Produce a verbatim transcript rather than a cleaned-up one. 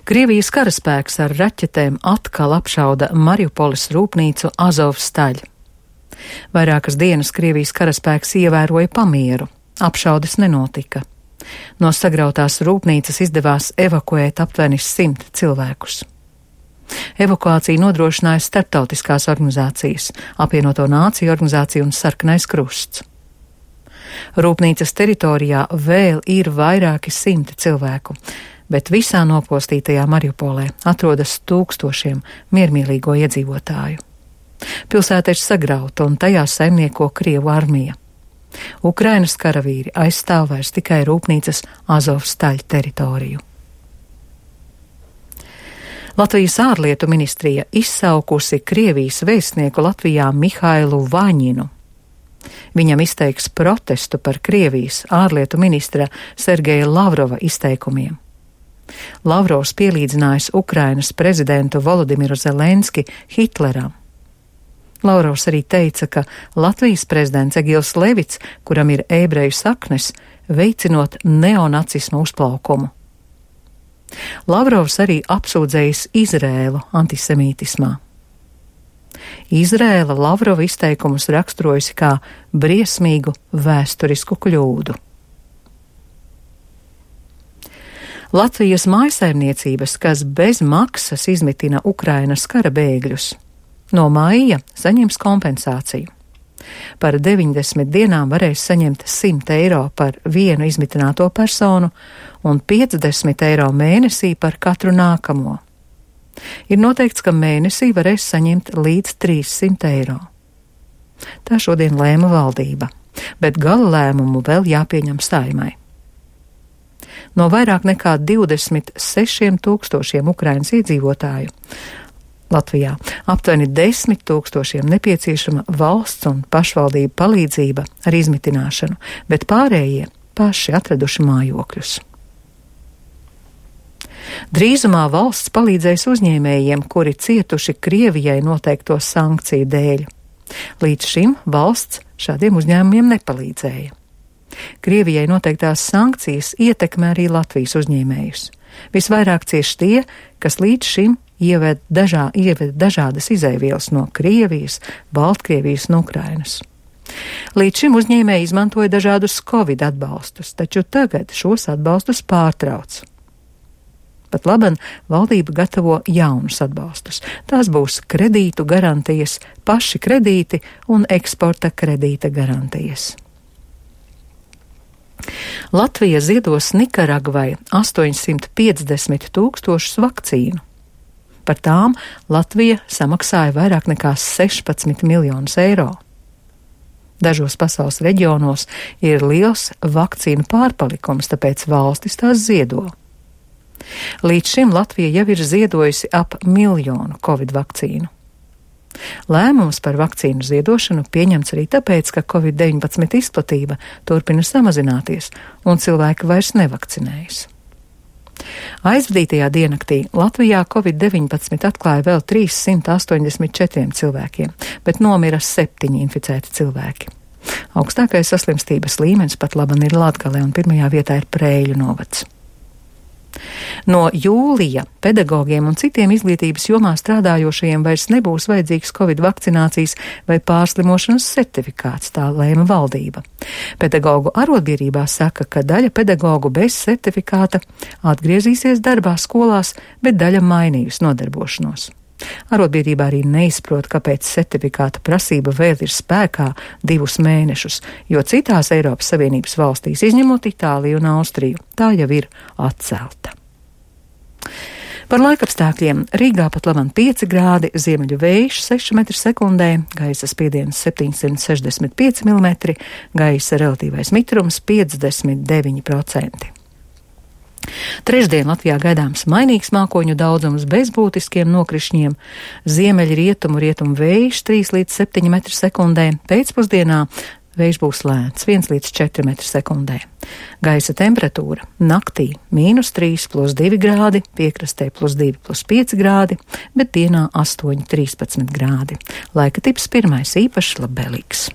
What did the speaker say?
Krievijas karaspēks ar raķetēm atkal apšauda Mariupoles rūpnīcu Azovstaļ. Vairākas dienas Krievijas karaspēks ievēroja pamieru. Apšaudes nenotika. No sagrautās rūpnīcas izdevās evakuēt aptuveni simt cilvēkus. Evakuāciju nodrošināja starptautiskās organizācijas, Apvienoto Nāciju organizācija un Sarkanais Krusts. Rūpnīcas teritorijā vēl ir vairāki simti cilvēku, bet visā nopostītajā Mariupolē atrodas tūkstošiem miermīlīgo iedzīvotāju. Pilsēta ir sagrauta un tajā saimnieko Krievu armija. Ukrainas karavīri aizstāv vairs tikai rūpnīcas Azovstaļ teritoriju. Latvijas ārlietu ministrija izsaukusi Krievijas vēstnieku Latvijā Mihailu Vaņinu. Viņam izteiks protestu par Krievijas ārlietu ministra Sergeja Lavrova izteikumiem. Lavrovs pielīdzinājis Ukrainas prezidentu Volodimiru Zelenski Hitleram. Lavrovs arī teica, ka Latvijas prezidents Egils Levits, kuram ir ebreju saknes, veicinot neonacismu uzplaukumu. Lavrovs arī apsūdzējis Izrēlu antisemītismā. Izrēla Lavrova izteikumus raksturojusi kā briesmīgu vēsturisku kļūdu. Latvijas mājsaimniecības, kas bez maksas izmitina Ukrainas kara bēgļus, no maija saņems kompensāciju. Par deviņdesmit dienām varēs saņemt simt eiro par vienu izmitināto personu un piecdesmit eiro mēnesī par katru nākamo. Ir noteikts, ka mēnesī varēs saņemt līdz trīssimt eiro. Tā šodien lēma valdība, bet gala lēmumu vēl jāpieņem Saeimai. No vairāk nekā divdesmit sešiem tūkstošiem Ukrainas iedzīvotāju Latvijā aptuveni desmit tūkstošiem nepieciešama valsts un pašvaldību palīdzība ar izmitināšanu, bet pārējie paši atraduši mājokļus. Drīzumā valsts palīdzēs uzņēmējiem, kuri cietuši Krievijai noteikto sankciju dēļ. Līdz šim valsts šādiem uzņēmumiem nepalīdzēja. Krievijai noteiktās sankcijas ietekmē arī Latvijas uzņēmējus. Visvairāk cieši tie, kas līdz šim ieved, dažā, ieved dažādas izēvielas no Krievijas, Baltkrievijas un Ukrainas. Līdz šim uzņēmēji izmantoja dažādus Covid atbalstus, taču tagad šos atbalstus pārtrauc. Pat laban valdība gatavo jaunus atbalstus. Tās būs kredītu garantijas, paši kredīti un eksporta kredīta garantijas. Latvija ziedos Nikaragvai astoņsimt piecdesmit tūkstošus vakcīnu. Par tām Latvija samaksāja vairāk nekā sešpadsmit miljonus eiro. Dažos pasaules reģionos ir liels vakcīnu pārpalikums, tāpēc valstis tās ziedo. Līdz šim Latvija jau ir ziedojusi ap miljonu Covid vakcīnu. Lēmums par vakcīnu ziedošanu pieņemts arī tāpēc, ka Covid deviņpadsmit izplatība turpina samazināties un cilvēki vairs nevakcinējas. Aizvadītajā diennaktī Latvijā Covid deviņpadsmit atklāja vēl trīssimt astoņdesmit četriem cilvēkiem, bet nomira septiņi inficēti cilvēki. Augstākais saslimstības līmenis pat laban ir Latgalē un pirmajā vietā ir Preiļu novads. No jūlija pedagogiem un citiem izglītības jomā strādājošajiem vairs nebūs vajadzīgs Covid vakcinācijas vai pārslimošanas certifikāts, tā lēma valdība. Pedagogu arotbiedrībā saka, ka daļa pedagogu bez certifikāta atgriezīsies darbā skolās, bet daļa mainījusi nodarbošanos. Arotbiedrībā arī neizprot, kāpēc certifikāta prasība vēl ir spēkā divus mēnešus, jo citās Eiropas Savienības valstīs, izņemot Itāliju un Austriju, tā jau ir atcelta. Par laikapstākļiem Rīgā pat laban pieci grādi, ziemeļu vējš seši metri sekundē, gaisa spiediens septiņsimt sešdesmit pieci milimetri, gaisa relatīvais mitrums piecdesmit deviņi procenti. Trešdien Latvijā gaidāms mainīgs mākoņu daudzums bez būtiskiem nokrišņiem, ziemeļu rietumu rietumu vējš trīs līdz septiņi metri sekundē, pēcpusdienā vējš būs lēns viens līdz četri metri sekundē. Gaisa temperatūra naktī mīnus trīs plus divi grādi, piekrastē plus divi plus pieci grādi, bet dienā astoņi trīspadsmit grādi. Laika tips pirmais īpaši labvēlīgs.